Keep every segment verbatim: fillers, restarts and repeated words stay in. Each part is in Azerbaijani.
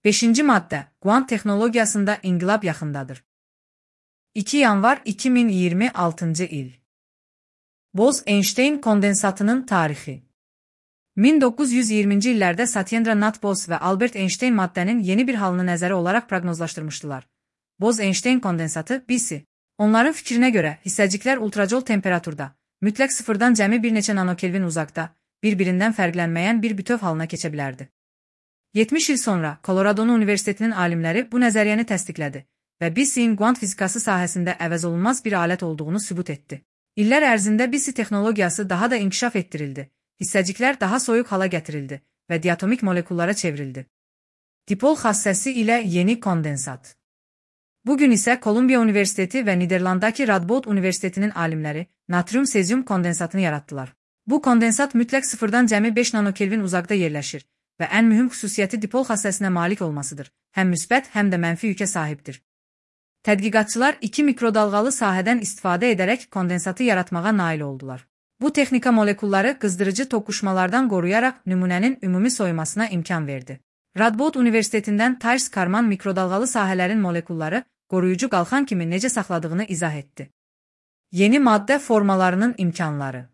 beşinci maddə. Quant texnologiyasında inqilab yaxındadır. iki yanvar iki min iyirmi altıncı il. Bose-Einstein kondensatının tarixi. min doqquz yüz iyirminci illərdə Satyendra Nath Bose və Albert Einstein maddənin yeni bir halını nəzərə olaraq proqnozlaşdırmışdılar. Bose-Einstein kondensatı B C. Onların fikrinə görə hissəciklər ultracol temperaturda, mütləq sıfırdan cəmi bir neçə nanokelvin uzaqda, bir-birindən fərqlənməyən bir bütöv halına keçə bilərdi. yetmiş il sonra Colorado Universitetinin alimləri bu nəzəriyyəni təsdiqlədi və B C-in quant fizikası sahəsində əvəzolunmaz bir alət olduğunu sübut etdi. İllər ərzində B C texnologiyası daha da inkişaf etdirildi, hissəciklər daha soyuq hala gətirildi və diatomik molekullara çevrildi. Dipol xassəsi ilə yeni kondensat. Bugün isə Kolumbiya Universiteti və Niderlanddakı Radboud Universitetinin alimləri natrium-sezium kondensatını yaratdılar. Bu kondensat mütləq sıfırdan cəmi beş nanokelvin uzaqda yerləşir və ən mühüm xüsusiyyəti dipol xassəsinə malik olmasıdır. Həm müsbət, həm də mənfi yükə sahibdir. Tədqiqatçılar iki mikrodalğalı sahədən istifadə edərək kondensatı yaratmağa nail oldular. Bu texnika molekulları qızdırıcı toqquşmalardan qoruyaraq nümunənin ümumi soyumasına imkan verdi. Radboud Universitetindən Thijs Karman mikrodalğalı sahələrin molekulları qoruyucu qalxan kimi necə saxladığını izah etdi. Yeni maddə formalarının imkanları.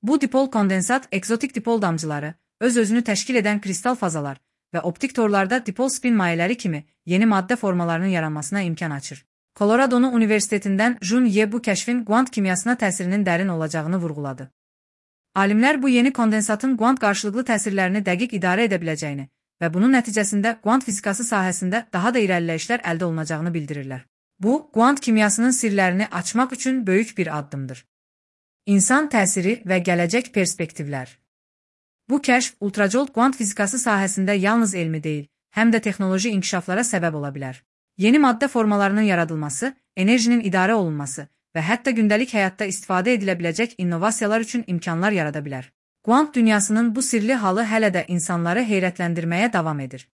Bu dipol kondensat ekzotik dipol damcıları, öz-özünü təşkil edən kristal fazalar və optik torlarda dipol spin mayeləri kimi yeni maddə formalarının yaranmasına imkan açır. Colorado Universitetindən Jun Ye bu kəşfin quant kimyasına təsirinin dərin olacağını vurğuladı. Alimlər bu yeni kondensatın quant qarşılıqlı təsirlərini dəqiq idarə edə biləcəyini və bunun nəticəsində quant fizikası sahəsində daha da irəliləyişlər əldə olunacağını bildirirlər. Bu, quant kimyasının sirlərini açmaq üçün böyük bir addımdır. İnsan təsiri və gələcək perspektivlər. Bu kəşf ultracol quant fizikası sahəsində yalnız elmi deyil, həm də texnoloji inkişaflara səbəb ola bilər. Yeni maddə formalarının yaradılması, enerjinin idarə olunması və hətta gündəlik həyatda istifadə edilə biləcək innovasiyalar üçün imkanlar yarada bilər. Quant dünyasının bu sirli halı hələ də insanları heyrətləndirməyə davam edir.